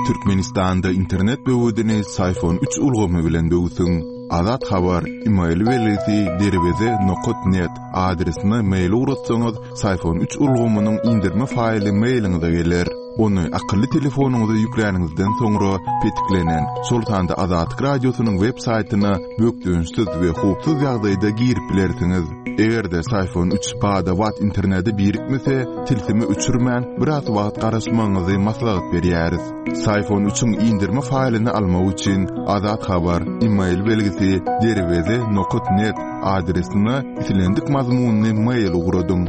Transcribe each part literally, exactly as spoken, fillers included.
Türkmenistanda internet böwedini Syfon üç ulgamy bilen böwsüň. Azat Habar, e-mail belgisi derweze nokat net adresine mail ugratsaňyz, Syfon üç ulgamynyň indirme faýly mailiňize geler. Ony akylly telefonyňyza ýükläniňizden soňra petiklenen, şol sanda Azatlyk Radiosynyň web saýtyna bökdençsiz we howpsuz ýagdaýda girip bilersiňiz. Eger-de Syfon üç bada-bat internete birikmese, tilsimi öçürmän biraz wagt garaşmagyňyzy maslahat berýäris. Syfon üçiň indirme faýlyny almak üçin Azat Habar, e-mail belgisi derweze nokat net adresine islendik mazmunyny mail ugradyň.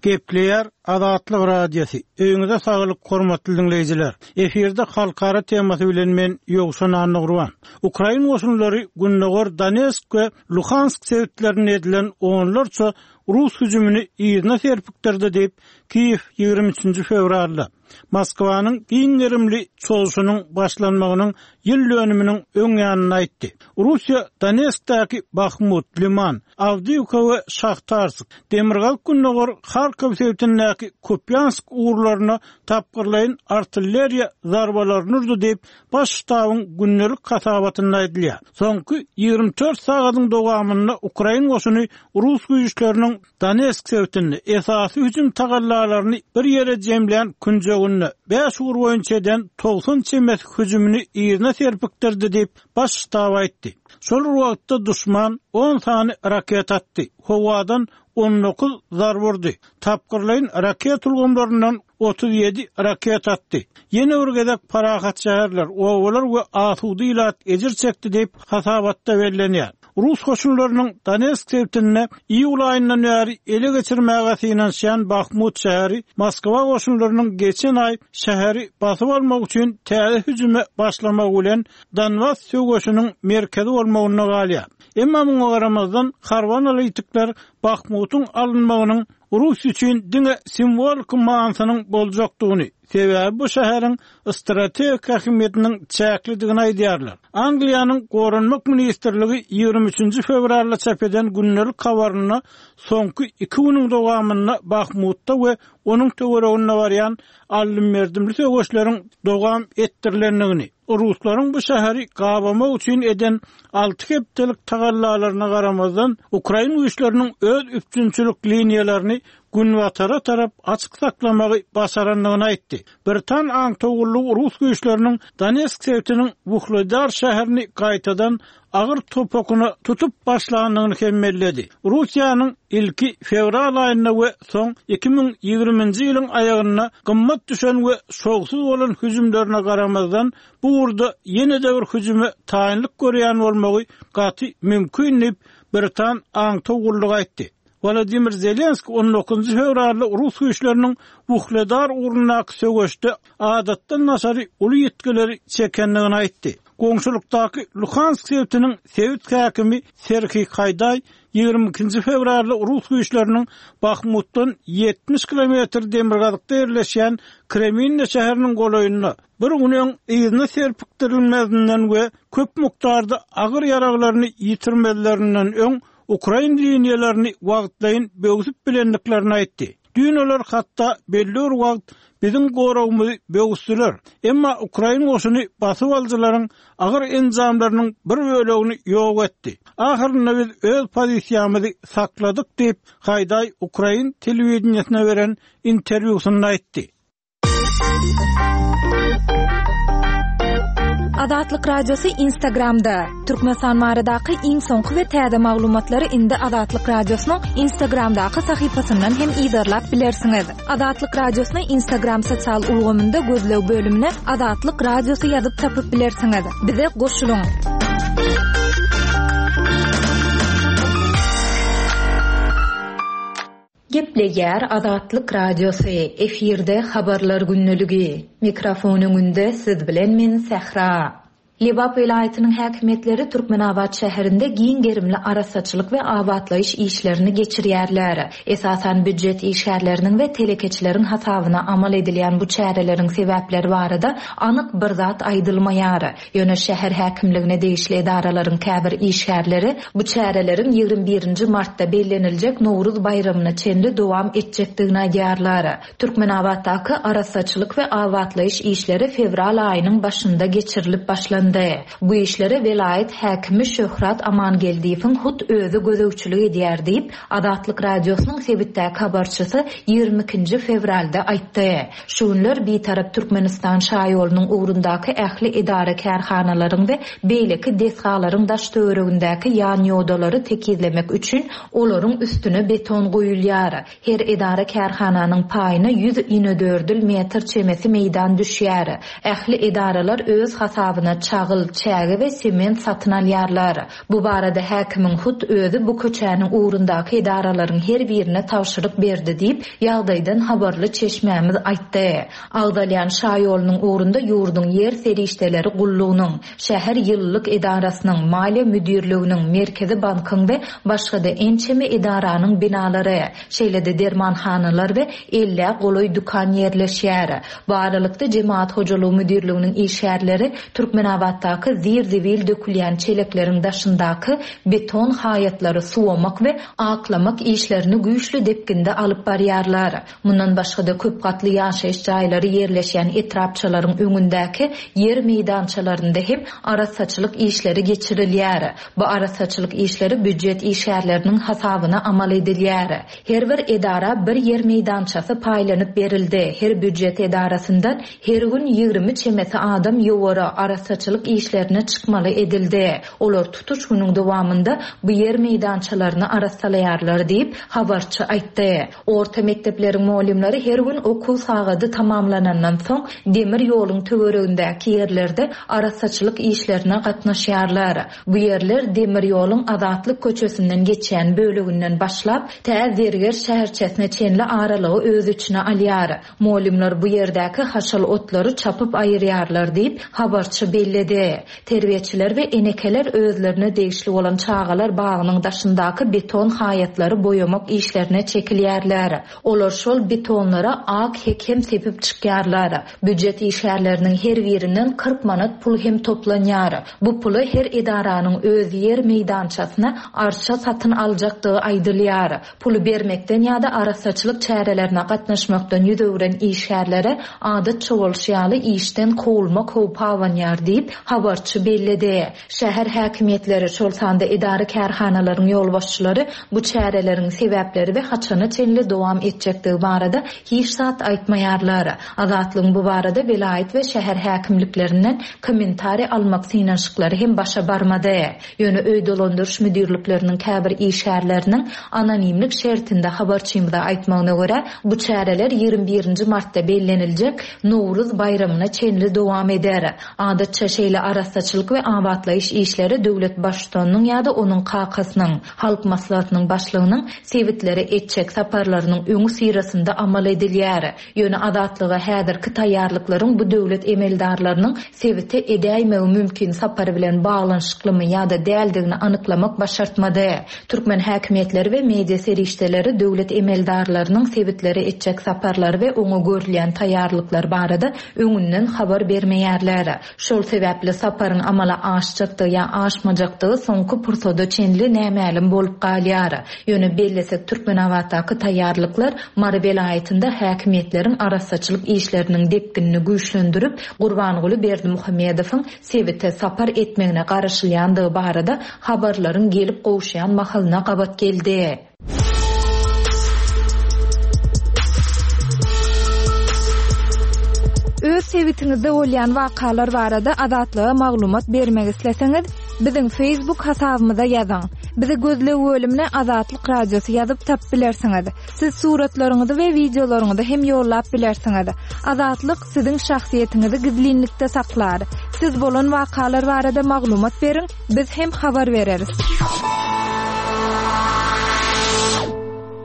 Gepleýär Azatlyk Radiosy. Öýüňize saglyk hormatly dinleýjiler. Efirde halkara temasy bilen men Ýowşan Annagurban. Ukrain goşunlary Gündogar Donetsk we Luhansk sebitlerinde edilen onlarça Rus hüjümini yzyna serpikdirdi diýip Kiýew ýigrimi üçünji fewralda Moskwanyň giň gerimli çozuşynyň başlanmagynyň ýyl dönüminiň öň ýanynda aýtdy. Russiýa Donetskdäki Bahmut, Liman, Awdiýewka we Şahtarsk, Demirgazyk Gündogar Harkov sebitindäki Kupyansk ugurlaryna tapgyrlaýyn artilleriýa zarbalaryny urdy diýip baş ştabyň gündelik hasabatynda aýdylýar. Soňky ýigrimi dört sagatyň dowamynda Ukrain goşuny Rus güýçleriniň Donetsk sebitinde esasy hüjüm tagallalaryny bir ýere jemlän künjeginde bäş ugur boýunça eden togsan çemesi hüjümini yzyna serpikdirdi diýip baş ştab aýtdy. Şol wagtda düşman on sany raket atdy. Howadan on dokuz zarba urdy. Tapgyrlaýyn raket ulgamlaryndan otuz ýedi raket atdy. Ýene bir gezek parahat şäherler, obalar we asuda ilat ejir çekdi diýip hasabatda bellenýär. Rus goşunlarynyň Donetsk sebitinde iýul aýyndan bäri ele geçirmäge synanyşýan Bahmut şäheri Moskwa goşunlarynyň geçen aý şäheri basyp almak üçin täze hüjüme başlamagy bilen Donbas söweşiniň merkezi bolmagyna galýar. Emma muňa garamazdan harby analitikler Bahmutyň alynmagynyň Rus üçin diňe simwolik manysynyň boljakdygyny, sebäbi bu şäheriň strategik ähmiýetiniň çäklidigini aýdýarlar. Angliýanyň Goranmak ministrligi ýigrimi üçünji fewralda çap eden gündelik habarynda soňky iki günüň dowamynda Bahmutda we onuň töwereginde barýan aldym-berdimli söweşleriň dowam etdirilendigini, Ruslaryň bu şäheri gabamak üçin eden alty hepdelik tagallalaryna garamazdan Ukrain güýçleriniň öz üpjünçilik liniýalaryny günbatara tarap açyk saklamagy başarandygyny aýtdy. Britan aňtawgullygy Rus güýçleriniň Donetsk sebitiniň Wuhledar şäherini gaýtadan agyr topakyna tutup başlandygyny hem belledi. Russiýanyň ilki fewral aýynda we soň iki müň ýigriminji ýylyň aýagynda gymmat düşen we şowsuz bolan hüjümlerine garamazdan bu ugurda ýene-de bir hüjüme taýynlyk görýän bolmagy gaty mümkin diýip Britan aňtawgullygy aýtdy. Wladimir Zelenski on dokuzynjy fewralda Rus güýçleriniň Wuhledar ugrundaky söweşde adatdan daşary uly ýitgileri çekendigini aýtdy. Goňşulykdaky Luhansk sebitiniň sebit häkimi Serhiý Haýdaý ýigrimi ikinji fewralda Rus güýçleriniň Bahmutdan ýetmiş kilometr demirgazykda ýerleşýän Kreminna şäheriniň golaýynda bir gün öň yzyna serpikdirilmezinden we köp mukdarda agyr ýaraglaryny ýitirmezlerinden öň Ukrain liniýalaryny wagtlaýyn böwsüp bilendiklerini aýtdy. Düýn olar hatda belli bir wagt biziň goragymyzy böwüsdiler. Emma Ukrain goşuny basyp alyjylaryň agyr enjamlarynyň bir bölegini ýok etdi. Ahyrynda biz öz pozisiýamyzy sakladyk diýip Haýdaý Ukrain telewideniýesine beren interwýusynda aýtdy. Azatlyk Radiosy Instagramda. Türkmenistan baradaky iň soňky we täze maglumatlary indi Azatlyk Radiosynyň Instagramdaky sahypasyndan hem yzarlap bilersiňiz. Azatlyk Radiosyny Instagram sosial ulgamynda gözleg bölümine Azatlyk Radiosy ýazyp tapyp bilersiňiz. Bize goşulyň. Gepleýär Azatlyk Radiosy, efirde habarlar gündeligi. Mikrofon öňünde siz bilen men Sähra. Lebap welaýatynyň häkimiýetleri Türkmenabat şäherinde giň gerimli arassaçylyk we abatlaýyş işlerini geçirýärler. Esasan býujet işgärleriniň we telekeçileriň hasabyna amal edilýän bu çäreleriň sebäpleri barada anyk bir zat aýdylmaýar. Ýöne şäher häkimligine degişli edaralaryň käbir işgärleri bu çäreleriň ýigrimi birinji martda belleniljek Nowruz baýramyna çenli dowam etjekdigini aýdýarlar. Türkmenabatdaky arassaçylyk we abatlaýyş işleri fewral aýynyň başynda geçirilip başlandy. Bu işlere welaýat häkimi Şöhrat Amangeldiýewiň hut özi gözegçilik edýär diýip, Azatlyk Radiosynyň sebitdäki habarçysy ýigrimi ikinji fewralda aýtdy. Şu günler Bitarap Türkmenistan şaýolunyň ugrundaky ähli edara kärhanalaryň we beýleki desgalaryň daş töweregindäki ýan ýodalary tekizlemek üçin olaryň üstüne beton goýulýar. Her edara kärhananyň paýyna ýüz inedördül metr çemesi meýdan düşýär. Ähli edaralar öz hasabyna çagyl, çäge we sement satyn alýarlar. Bu barada häkimiň hut özi bu köçäniň ugrundaky edaralaryň her birine tabşyryk berdi diýip, ýagdaýdan habarly çeşmämiz aýtdy. Agzalýan şaýolunyň ugrunda ýurduň ýer serişdeleri gullugynyň, şäher ýylylyk edarasynyň, maliýe müdirliginiň, Merkezi bankyň we başga-da ençeme edaranyň binalary, şeýle-de dermanhanalar we ellä golaý dükan ýerleşýär. Bu aralykda Jemaat hojalygy müdirliginiň işgärleri Türkmenabatdaky zir-zibil dökülýän çelekleriň daşyndaky beton haýatlary suwamak we aklamak işlerini güýçli depginde alyp barýarlar. Mundan başga-da köp gatly ýaşaýyş jaýlary ýerleşýän etrapçalaryň öňündäki ýer meýdançalarynda hem arassaçylyk işleri geçirilýär. Bu arassaçylyk işleri býujet işgärleriniň hasabyna amal edilýär. Her bir edara bir ýer meýdançasy paýlanyp berildi. Her býujet edarasyndan her gün ýigrimi çemesi adam ýowara arassaçylyk işlerine çykmaly edildi. Olar tutuş günüň dowamynda bu ýer meýdançalaryny arassalaýarlar diýip, habarçy aýtdy. Orta mekdepleriň muallimleri her gün okuw sagady tamamlanandan soň demir ýoluň töweregindäki ýerlerde arassaçylyk işlerine gatnaşýarlar. Bu ýerler demir ýoluň Azatlyk köçesinden geçýän böleginden başlap, tä Zerger şäherçesine çenli aralygy öz içine alýar. Muallimler bu ýerdäki haşal otlary çapyp aýyrýarlar diýip, habarçy belledi. Terbiýeçiler we enekeler özlerine degişli bolan çagalar bagynyň daşyndaky beton haýatlary boýamak işlerine çekilýärler. Olar şol betonlara ak hek hem sepip çykýarlar. Býujet işgärleriniň her birinden kyrk manat pul hem toplanýar. Bu puly her edaranyň öz ýer meýdançasyna arça satyn aljakdygy aýdylýar. Puly bermekden ýa-da arassaçylyk çärelerine gatnaşmakdan ýüz öwren işgärlere adatça bolşy ýaly işden kowulmak howpy abanýar diýip, habarçy belledi. Şäher häkimiýetleri, şol sanda edara kärhanalaryň ýolbaşçylary bu çäreleriň sebäpleri we haçana çenli dowam etjekdigi barada hiç zat aýtmaýarlar. Azatlygyň bu barada welaýat we şäher häkimliklerinden kommentariý almak synanyşyklary hem başa barmady. Ýöne öý dolandyryş müdirlikleriniň käbir işgärleriniň anonimlik şertinde habarçymyza aýtmagyna görä, bu çäreler ýigrimi birinji martda belleniljek Nowruz baýramyna çenli dowam eder. Adatça şeýle arassaçylyk we abatlaýyş işleri döwlet baştutanynyň ýa-da onuň kakasynyň, halk maslahatynyň başlygynyň sebitlere etjek saparlarynyň öňi syrasynda amal edilýär. Ýöne Azatlyga häzirki taýýarlyklaryň bu döwlet emeldarlarynyň sebite edäýmegi mümkin sapary bilen baglanyşyklymy ýa-da däldigini anyklamak başartmady. Türkmen häkimiýetleri we media serişdeleri döwlet emeldarlarynyň sebitlere etjek saparlary we oňa görülýän taýýarlyklar barada öňünden habar bermeýärler. Şol sebäpli saparyň amala aşjakdygy ýa aşmajakdygy soňky pursada çenli nämälim bolup galýar. Ýöne bellesek Türkmenabatdaky taýýarlyklar Mary welaýatynda häkimiýetleriň arassaçylyk işleriniň depginini güýçlendirip, Gurbanguly Berdimuhamedowyň sebite sapar etmegine garaşylýandygy barada habarlaryň gelip gowuşýan mahalyna gabat geldi. Öz sebitiňizde bolýan wakalar barada Azatlyga maglumat bermek isleseňiz, biziň Facebook hasabymyza ýazyň. Bizi gözleg bölümine Azatlyk Radiosy ýazyp tap bilersiňiz. Siz suratlaryňyzy we wideolaryňyzy hem ýollap bilersiňiz. Azatlyk siziň şahsyýetiňizi gizlinlikde saklar. Siz bolan wakalar barada maglumat beriň, biz hem habar bereris.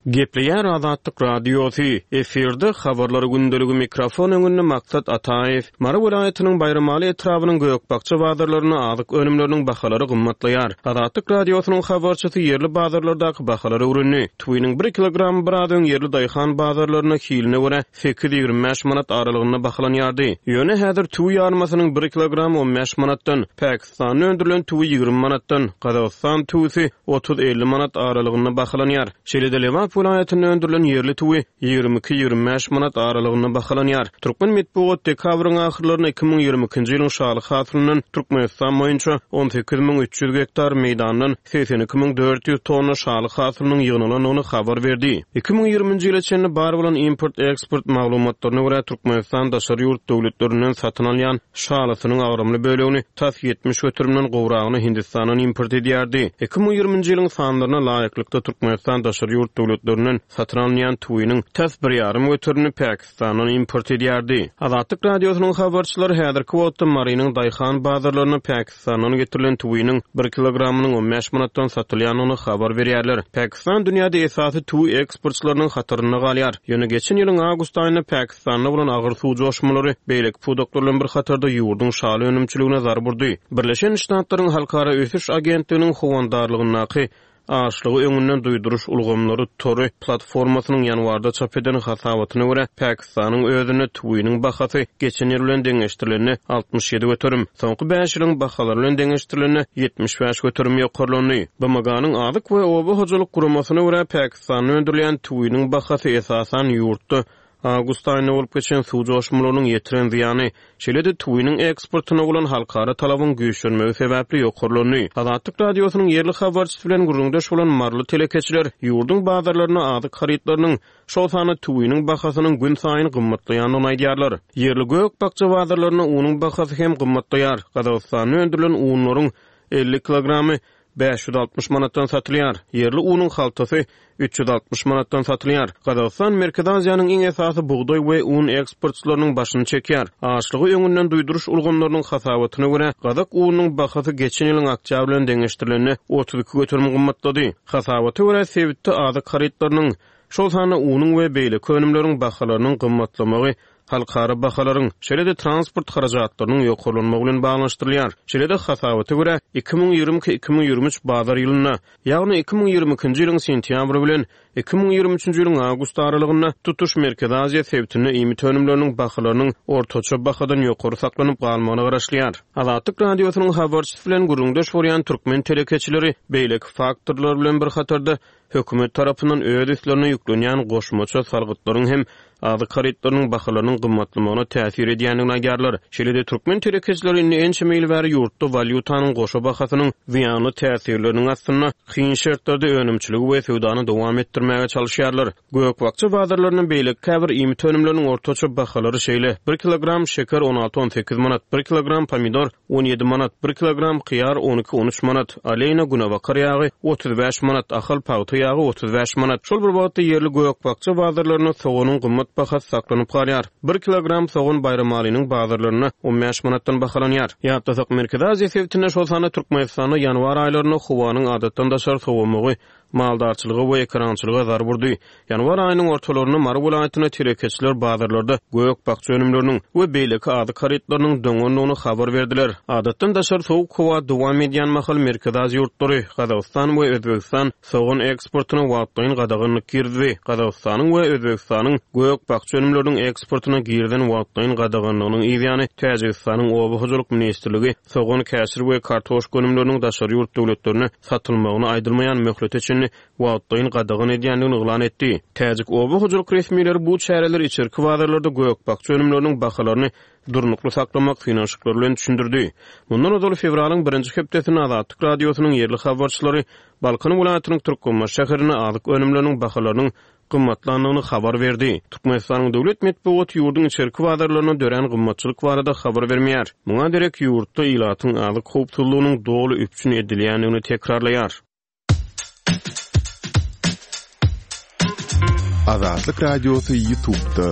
Gepleýär Azatlyk Radiosy, efirde habarlar gündeligi mikrofon öňünde Maksat Ataýew. Mary welaýatynyň Baýramaly etrabynyň gök-bakja bazarlarynda azyk önümleriniň bahalary gymmatlaýar. Azatlyk Radiosynyň habarçysy ýerli bazarlardaky bahalary öwrendi. Tüwiniň bir kilogramy biraz öň ýerli daýhan bazarlarynda hiline görä sekiz ýigrimi bäş manat aralygynda bahalanýardy. Ýöne häzir tüwi ýarmasynyň bir kilogramy on bäş manatdan, Pakistanda öndürilen tüwi ýigrimi manatdan, Gazagystan tüwüsi otuz-elli manat aralygynda bahalanýar. Şeýle-de Lebap welaýatynda öndürilen ýerli tüwi ýigrimi iki-ýigrimi bäş manat aralygynda bahalanýar. Türkmen metbugat dekabryň ahyrlarynda iki müň ýigrimi ikinji ýylyň şaly hasylyndan Türkmenistan boýunça on sekiz müň üç ýüz gektar meýdandan segsen iki müň dört ýüz tonna şaly hasylynyň ýygnalandygyny habar berdi. Iki müň ýigriminji ýyla çenli bar bolan import-eksport maglumatlaryna görä Türkmenistan daşary ýurt döwletlerinden satyn alýan şalysynyň agramly bölegini tas ýetmiş göterimden gowragyny Hindistandan import edýärdi. Iki müň ýigriminji ýylyň sanlaryna laýyklykda Türkmenistan daşary ýurt döwletlerinden satyn alynýan tüwiniň tas bir ýarym göterimini Pakistandan import edýärdi. Azatlyk Radiosynyň habarçylary häzirki wagtda Marynyň daýhan bazarlaryna Pakistandan getirilen tüwiniň bir kilogramynyň on bäş manatdan satylýandygyny habar berýärler. Pakistan dünýäde esasy tüwi eksportçylarynyň hatarynda galýar. Ýöne geçen ýylyň awgust aýynda Pakistanda bolan agyr suw joşmalary beýleki pudaklar bilen bir hatarda ýurduň şaly önümçiligine zarb urdy. Birleşen Ştatlaryň Halkara Ösüş Agentliginiň howandarlygyndaky açlygy öňünden duýduryş ulgamlary tory platformasynyň ýanwarda çap eden hasabatyna görä Pakistanyň özünde tüwiniň bahasy geçen ýyl bilen deňeşdirilende altmyş ýedi göterim, soňky bäş ýylyň bahalary bilen deňeşdirilende ýetmiş bäş göterim ýokarlandy. B M G-nyň Azyk we Oba hojalyk guramasyna görä Pakistanda öndürilýän tüwiniň bahasy esasan ýurtda awgust aýynda bolup geçen suw joşmalarynyň ýetiren zyýany, şeýle-de tüwiniň eksportyna bolan halkara talabyň güýçlenmegi sebäpli ýokarlandy. Azatlyk Radiosynyň ýerli habarçysy bilen gürrüňdeş bolan maryly telekeçiler ýurduň bazarlaryna azyk harytlarynyň, şol sanda tüwiniň bahasynyň gün saýyn gymmatlaýandygyny aýdýarlar. Ýerli gök-bakja bazarlarynda unuň bahasy hem gymmatlaýar. Gazagystanda öndürilen unlaryň elli kilogramy bäş ýüz altmyş manatdan satylýar. Ýerli unuň haltasy üç ýüz altmyş manatdan satylýar. Gazagystan Merkezi Aziýanyň iň esasy bugdaý we un eksportçylarynyň başyny çekýär. Açlygy öňünden duýduryş ulgamlarynyň hasabatyna görä gazak ununyň bahasy geçen ýylyň oktýabr bilen deňeşdirilende otuz iki göterim gymmatlady. Hasabata görä sebitde azyk harytlarynyň, şol sanda unuň we beýleki önümleriň bahalarynyň gymmatlamagy halkara bahalaryň, şeýle-de transport harajatlarynyň ýokarlanmagy bilen baglanyşdyrylýar. Şeýle-de hasabata görä iki müň ýigrimi iki iki müň ýigrimi üç bazar ýylynda, ýagny iki müň ýigrimi ikinji ýylyň sentýabry bilen iki müň ýigrimi üçünji ýylyň awgust aralygynda tutuş Merkezi Aziýa sebitinde iýmit önümleriniň bahalarynyň ortaça bahadan ýokary saklanyp galmagyna garaşylýar. Azatlyk Radiosynyň habarçysy bilen gürrüňdeş bolýan türkmen telekeçileri beýleki faktorlar bilen bir hatarda hökümet tarapyndan öz üstlerine ýüklenýän goşmaça salgytlaryň hem azyk harytlarynyň bahalarynyň gymmatlamagyna täsir edýändigini aýdýarlar. Şeýle-de türkmen telekeçileri indi ençeme ýyl bäri ýurtda walýutanyň goşa bahasynyň zyýanly täsirleriniň astynda kyn şertlerde önümçiligi we söwdany dowam etdirmäge çalışýarlar. Gök-bakja bazarlarynyň beýleki käbir iýmit önümleriniň ortaça bahalary şeýle: bir kilogram şeker on alty on sekiz manat, bir kilogram pomidor on ýedi manat, bir kilogram hyýar on iki on üç manat, aleýna günebakar ýagy otuz bäş manat, ahal pagta ýagy otuz bäş manat. Şol bir wagtda ýerli gök-bakja bazarlarynda soganyň gymmat bahasy saklanyp galýar. Bir kilogram sogan Baýramalynyň bazarlarynda on bäş manatdan bahalanýar. Ýatlasak, Merkezi Aziýa sebitinde şol sanda Türkmenistanda ýanwar aýlarynda howanyň adatdan daşary sowamagy maldarçylyga we ekerançylyga zarb urdy. Ýanwar aýynyň ortalarynda Mary welaýatynda telekeçiler bazarlarda gök-bakja önümleriniň we beýleki azyk harytlarynyň doňandygyny habar berdiler. Adatdan daşary sowuk howa dowam edýän mahal Merkezi Aziýa ýurtlary, Gazagystan we Özbegistan sogan eksportyna wagtlaýyn gadaganlyk girdi. Gazagystanyň we Özbegistanyň gök-bakja önümleriniň eksportyna girilen wagtlaýyn gadaganlygynyň ýany Täjigistanyň Oba hojalyk ministrligi sogan, käşir we kartoşka önümleriniň daşary ýurt döwletlerine satylmagyny aýdylmaýan möhlete çenli wagtlaýyn gadagan edýändigini yglan etdi. Täjik oba hojalyk resmileri bu çäreleri içerki bazarlarda gök-bakja önümleriniň bahalaryny durnukly saklamak synanyşyklary bilen düşündirdi. Mundan ozal fewralyň birinji hepdesinde Azatlyk Radiosynyň ýerli habarçylary Balkan welaýatynyň Türkmenbaşy şäherinde azyk önümleriniň bahalarynyň gymmatlandygyny habar berdi. Türkmenistanyň döwlet metbugaty ýurduň içerki bazarlarynda dörän gymmatçylyk barada habar bermeýär. Muňa derek ýurtda ilatyň azyk howpsuzlygynyň doly üpjün edilýändigini tekrarlaýar. Azatlyk Radiosy YouTube'da.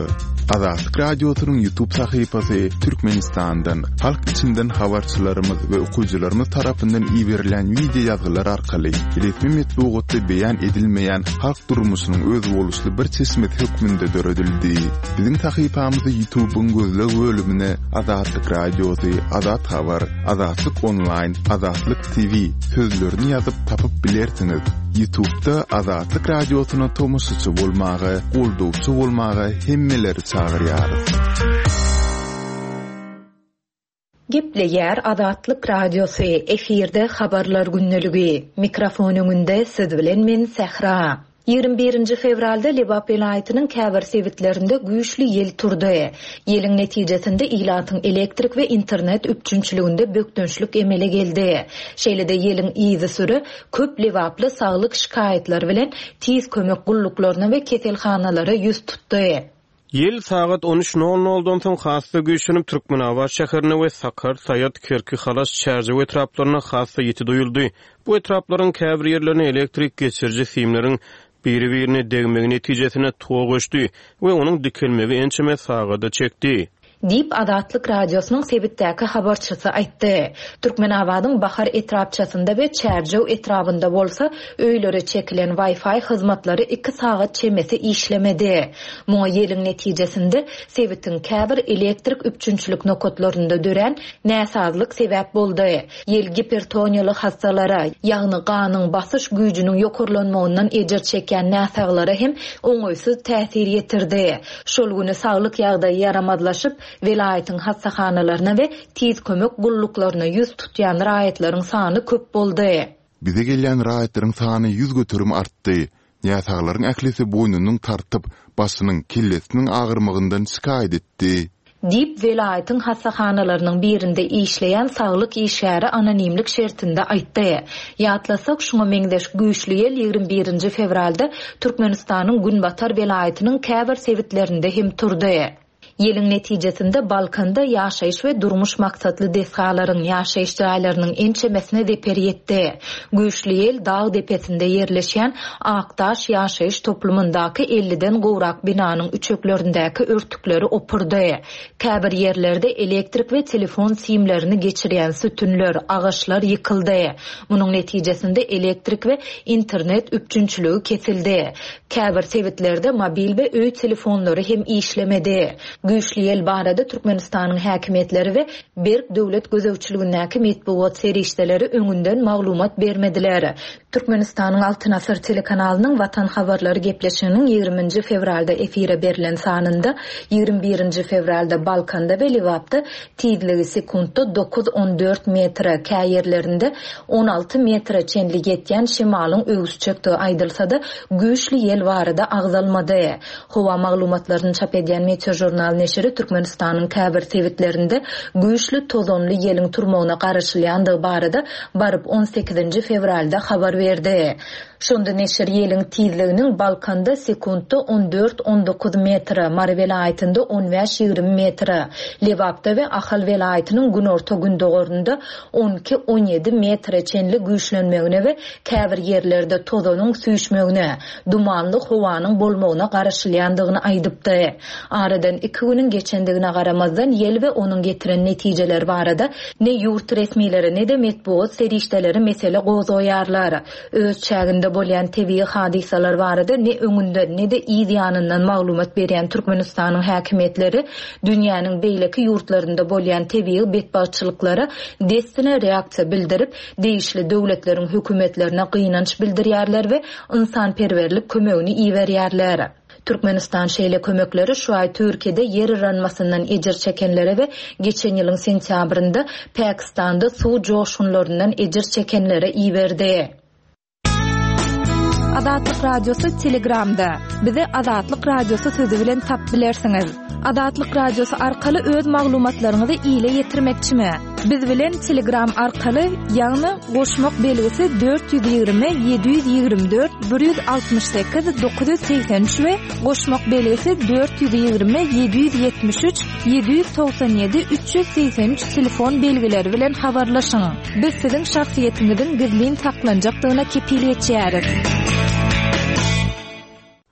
Azatlyk Radiosynyň YouTube sahypasy Türkmenistandan, halk içinden habarçylarymyz we okyjylarymyz tarapyndan iberilen wideo ýazgylar arkaly resmi metbugatda beýan edilmeýän halk durmuşynyň özboluşly bir çeşmesi hökmünde döredildi. Biziň sahypamyzy YouTube'yň gözleg bölümine Azatlyk Radiosy, Azat Habar, Azatlyk Online, Azatlyk T V sözlerini ýazyp tapyp bilersiňiz. YouTube'da Azatlyk Radiosyna tomaşaçy bolmaga, goldawçy bolmaga hemmeleri çagyrýarys. Gepleýär Azatlyk Radiosy, efirde habarlar gündeligi. Mikrofon öňünde siz bilen men Sähra. Ýigrimi birinji fewralda Lebap welaýatynyň käbir sebitlerinde güýçli ýel turdy. Ýeliň netijesinde ilatyň elektrik we internet üpjünçiliginde bökdençlik emele geldi. Şeýle-de ýeliň yzy süre köp Lebaply saglyk şikaýatlary bilen tiz kömek gulluklaryna we keselhanalara ýüz tutdy. Ýel sagat on üç nol noldan soň hassa güýçlenip Türkmenabat şäherine we Sakar, Saýat, Kerki, Halaç, Çärjew etraplaryna hassa ýiti duýuldy. Bu etraplaryň käbir ýerlerine elektrik geçiriji simleriň biri-birine degmegi netijesinde tok öçdi we onuň dikelmegi ençeme sagada çekdi. Diýip Azatlyk Radiosynyň sebitdäki habarçysy aýtdy. Türkmenabadyň Bahar etrapçasynda we Çärjew etrabynda bolsa öýlere çekilen Wi-Fi hyzmatlary iki sagat çemesi işlemedi. Muňa ýeliň netijesinde sebitiň käbir elektrik üpjünçilik nokatlarynda dörän näsazlyk sebäp boldy. Ýel gipertoniýaly hastalara, ýagny ganyň basyş güýjüniň ýokarlanmagyndan ejir çekýän näsaglara hem oňaýsyz täsir ýetirdi. Şol güni saglyk ýagdaýy ýaramazlaşyp, welaýatyň hastahanalaryna we tiz kömek gulluklaryna ýüz tutýan raýatlaryň sany köp boldy. Bize gelýän raýatlaryň sany ýüz göterim artdy. Näsaglaryň ählisi boýnunyň tartyp, başynyň, kellesiniň agyrmagyndan şikaýat etdi. Diýip welaýatyň hastahanalarynyň birinde işleýän saglyk işgäri anonimlik şertinde aýtdy. Ýatlasak, şuňa meňzeş güýçli ýel ýigrimi birinji fewralda Türkmenistanyň Günbatar welaýatynyň käbir sebitlerinde hem turdy. Ýeliň netijesinde Balkanda ýaşaýyş we durmuş maksatly desgalaryň, ýaşaýyş jaýlarynyň ençemesine zeper ýetdi. Güýçli ýel dag depesinde ýerleşýän Akdaş ýaşaýyş toplumyndaky elliden gowrak binanyň üçeklerindäki örtükleri opurdy. Käbir ýerlerde elektrik we telefon simlerini geçirýän sütünler, agaçlar ýykyldy. Munuň netijesinde elektrik we internet üpjünçiligi kesildi. Käbir sebitlerde mobil we öý telefonlary hem işlemedi. Güýçli ýel barada Türkmenistanyň häkimiýetleri we Berk döwlet gözegçiligindäki metbugat serişdeleri öňünden maglumat bermediler. Türkmenistanyň Altyn Asyr telekanalynyň Watan habarlary gepleşiginiň ýigriminji fewralda efire berlen sanynda ýigrimi birinji fewralda Balkanda we Lebapda tizligi sekuntda dokuz on dört metre, kä ýerlerinde on alty metre çenli ýetýän şemalyň öwüsjekdigi aýdylsa-da güýçli ýel barada agzalmady. Howa maglumatlaryny çap edýän Meteor jurnal neşiri Türkmenistanyň käbir sebitlerinde güýçli tozanly ýeliň turmagyna garaşylýandygy barada baryp on sekizinji fewralda habar berdi. Şonda neşir ýeliň tizliginiň Balkanda sekuntda on dört on dokuz metre, Mary welaýatynda on bäş ýigrimi metre, Lebapda we Ahal welaýatynyň günorta gündogarynda on iki on ýedi metre çenli güýçlenmegine we käbir ýerlerde tozanyň süýşmegine, dumanly howanyň bolmagyna garaşylýandygyny aýdypdy. Aradan iki günüň geçendigine garamazdan ýel we onuň getiren netijeleri barada ne ýurt resmileri ne de metbugat serişdeleri mesele gozgaýarlar. Öz çäginde bolýan tebigy hadysalar barada ne öňünden ne de yz ýanyndan maglumat berýän Türkmenistanyň häkimiýetleri dünýäniň beýleki ýurtlarynda bolýan tebigy betbagtçylyklara dessine reaksiýa bildirip, degişli döwletleriň hökümetlerine gynanç bildirýärler we ynsanperwerlik kömegini iberýärler. Türkmenistan şeýle kömekleri şu aý Türkiýede ýer yranmasyndan ejir çekenlere we geçen ýylyň sentýabrynda Pakistanda suw joşgunlaryndan ejir çekenlere iberdi. Azatlyk Radiosy Telegramda. Bizi Azatlyk Radiosy sözü bilen tap bilersiňiz. Azatlyk Radiosy arkaly öz maglumatlaryňyzy ile ýetirmekçimi? Biz bilen Telegram arkaly, ýagny goşmak belgisi dört ýüz ýigrimi, ýedi ýüz ýigrimi dört, bir ýüz altmyş sekiz, dokuz ýüz segsen üç we goşmak belgisi dört ýüz ýigrimi, ýedi ýüz ýetmiş üç, ýedi ýüz togsan ýedi, üç ýüz segsen üç telefon belgileri bilen habarlaşyň. Biz siziň şahsyýetiňiziň gizlin saklanjakdygyna kepil geçýäris.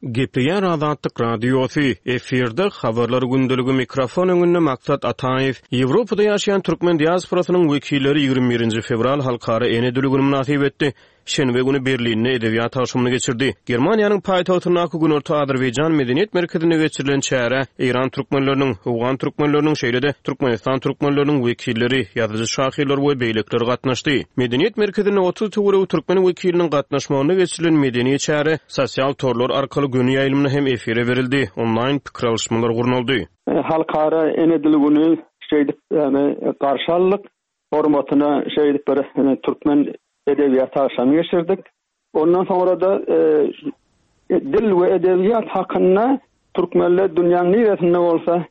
Gepleýär Azatlyk Radiosy, efirde Habarlar gündeligi mikrofon öňünde Maksat Ataýew. Ýewropada ýaşaýan türkmen diasporasynyň wekilleri ýigrimi birinji fewral Halkara ene dili güni mynasybetli şenbe güni Berlinde edebiýat agşamyny geçirdi. Germaniýanyň paýtagtyndaky Günorta Azerbaýjan medeniýet merkezinde geçirilen çärä Eýran türkmenleriniň, Owgan türkmenleriniň, şeýle-de Türkmenistan türkmenleriniň wekilleri, ýazyjy-şahyrlar we beýlekiler gatnaşdy. Medeniýet merkezinde otuz töweregi türkmen wekiliniň gatnaşmagynda geçirilen medeni çäre sosial torlar arkaly göni ýaýlymda hem efire berildi, onlaýn pikir alyşmalar gurnaldy. Halkara ene dili güni şeýdip, ýagny garşy aldyk. Hormatyna şeýdip bir türkmen edebiýat agşamy geçirdik. Ondan soňra-da, e, dil we edebiýat hakynda türkmenler dünýäniň niresinde bolsa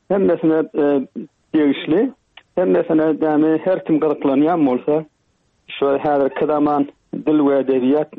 hemmesine, e, degişli, hemmesine ýagny her kim gyzyklanýan bolsa şu häzirki zaman dil we edebiýat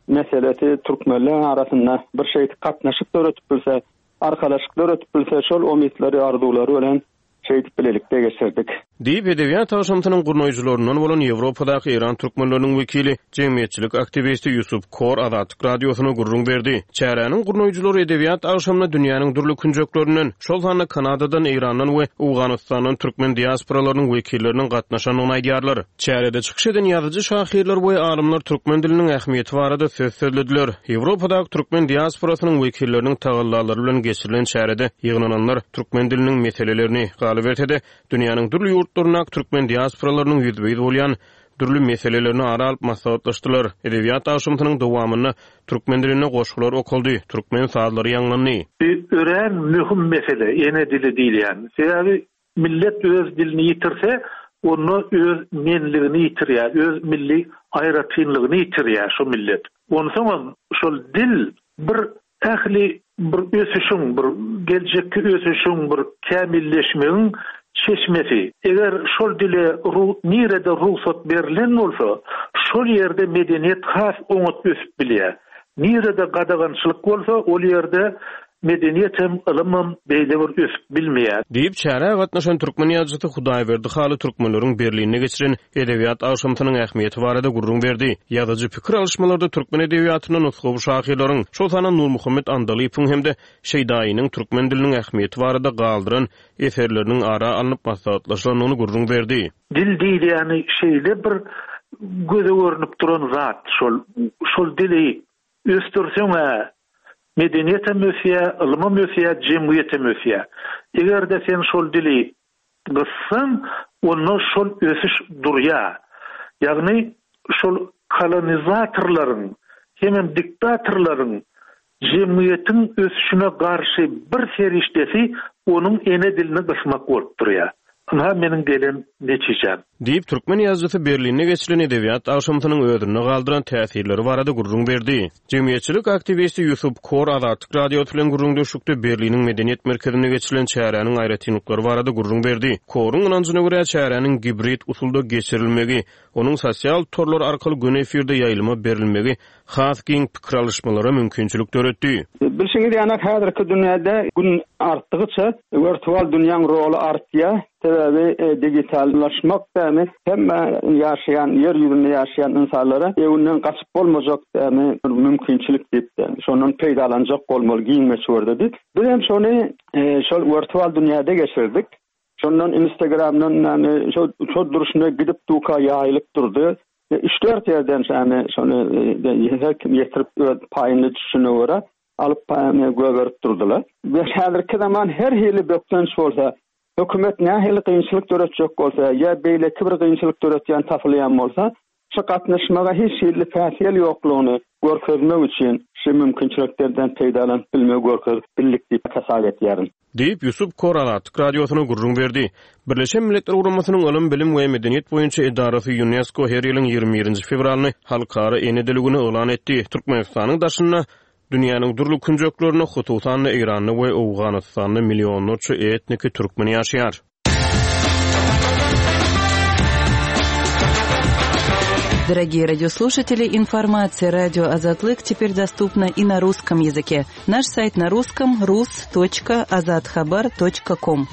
meselesi türkmenler arasynda bir şey gatnaşyk döretip bilse, arkalaşyk döretip bilse, şol umytlary, arzuwlary bilen şeýdip bilelikde geçirdik. Diýip, edebiýat agşamsynyň gurnaýjylaryndan bolan Ýewropadaky Eýran türkmenleriniň wekili, jemgyýetçilik aktiwisti Ýusup Kor Azatlyk Radiosyna gürrüň berdi. Çäräniň gurnaýjylary edebiýat agşamyna dünýäniň dürli künjeklerinden, şol sanda Kanadadan, Eýrandan we Owganystandan türkmen diasporalarynyň wekilleriniň gatnaşandygyny aýdýarlar. Çärede çykyş eden ýazyjy, şahyrlar we alymlar türkmen diliniň ähmiýeti barada söz sözlediler. Ýewropadaky türkmen diasporasynyň wekilleriniň tagallalary bilen geçirilen çärede ýygnananlar türkmen diliniň meselelerini, galyberse-de, dünýäniň dürli ýurtlaryndaky türkmen diasporalarynyň ýüzbe-ýüz bolýan dürli meselelerini ara alyp maslahatlaşdylar. Edebiýat agşamsynyň dowamynda türkmen dilinde goşgular okaldy, türkmen sazlary ýaňlandy. Bu örän möhüm mesele, ene dili diýilýän. Sebäbi millet öz dilini ýitirse, onda öz menligini ýitirýär, öz milli aýratynlygyny ýitirýär şu millet. Onsoňam şol dil bir ähli bir ösüşiň, bir geljekki ösüşiň, bir kämilleşmegiň çeşmesi. Eger şol dile ru-, nirede rugsat berlen bolsa, şol ýerde medeniýet has oňat ösüp bilýär. Nirede gadagançylyk bolsa, ol ýerde medeniýet hem ylym hem beýle bir ösüp bilmeýär. Diýip, çärä gatnaşan türkmen ýazyjysy Hudaýberdi Haly türkmenleriň Berlinde geçiren edebiýat agşamsynyň ähmiýeti barada gürrüň berdi. Ýazyjy pikir alyşmalarda türkmen edebiýatynda nusgawy şahyrlaryň, şol sanda Nurmuhammet Andalypyň hem-de Şeýdaýynyň türkmen diliniň ähmiýeti barada galdyran eserleriniň ara alnyp maslahatlaşylandygyny gürrüň berdi. Dil diýilýäni şeýle bir göze görnüp duran zat, şol, şol dili ösdürseň-ä medeniýet hem ösýär, ylym hem ösýär, jemgyýet hem ösýär. Eger-de sen şol dili gyssaň, onda şol ösüş durýar. Ýagny şol kolonizatorlaryň hemem diktatorlaryň jemgyýetiň ösüşine garşy bir serişdesi onuň ene dilini gysmak bolup durýar. Ynha meniň gelen netijem. Diýip, türkmen ýazyjysy Berlinde geçirilen edebiýat agşamsynyň özünde galdyran täsirleri barada gürrüň berdi. Jemgyýetçilik aktiwisti Ýusup Kor Azatlyk Radiosy bilen gürrüňdeşlikde Berliniň medeniýet merkezinde geçirilen çäräniň aýratynlyklary barada gürrüň berdi. Koruň ynanjyna görä çäräniň gibrid usulda geçirilmegi, onuň sosial torlar arkaly göni efirde ýaýlyma berilmegi has giň pikir alyşmalara mümkinçilik döretdi. Bilşiňiz ýaly, häzirki dünýäde gün artdygyça wirtual dünýäň roly artýar. Sebäbi, e, digitallaşmak dämi hemme ýaşaýan, ýer ýüzünde ýaşaýan insanlara ewinden gaçyp bolmajak dämi bir mümkinçilik diýip dämi, şondan peýdalanjak bolmaly giň möçberde diýip. Biz hem şony, e, şol wirtual dünýäde geçirdik. Şondan Instagramdan ýagny şo, şo durşuna gidip duka ýaýylyp durdy. E, üç dört ýerden şämi şony, e, her kim ýetirip öz paýyny düşüne görä alyp paýyny göberip durdular. Ve häzirki zaman her hili bökdenç bolsa, hökümet nähili kynçylyk döretjek bolsa, ýa beýleki bir kynçylyk döretýän tapylýan bolsa, şu gatnaşmaga hiç hili päsgel ýoklugyny görkezmek üçin şu mümkinçiliklerden peýdalanyp bilmegi görkezip bildik diýip hasap etýärin. Diýip, Ýusup Kor Azatlyk Radiosyna gürrüň berdi. Birleşen Milletler Guramasynyň Ylym, Bilim we Medeniýet boýunça edarasy UNESCO her ýylyň ýigrimi birinji fewralyny Halkara ene dili güni yglan etdi. Türkmenistanyň daşynda dünýäniň dürli künjeklerinde, hususan-da Eýranda we Owganystanda millionlarça etniki türkmen ýaşaýar. Дорогие радиослушатели, информация радио Азатлык теперь доступна и на русском языке. Наш сайт на русском рус точка азатхабар точка ком.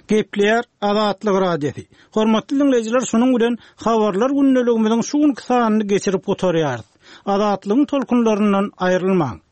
Gepleýär Azatlyk Radiosy. Hormatly diňleýjiler, şunuň bilen habarlar gündeligimiziň şu günki sanyny geçirip gutarýarys. Azatlygyň tolkunlaryndan aýrylmaň.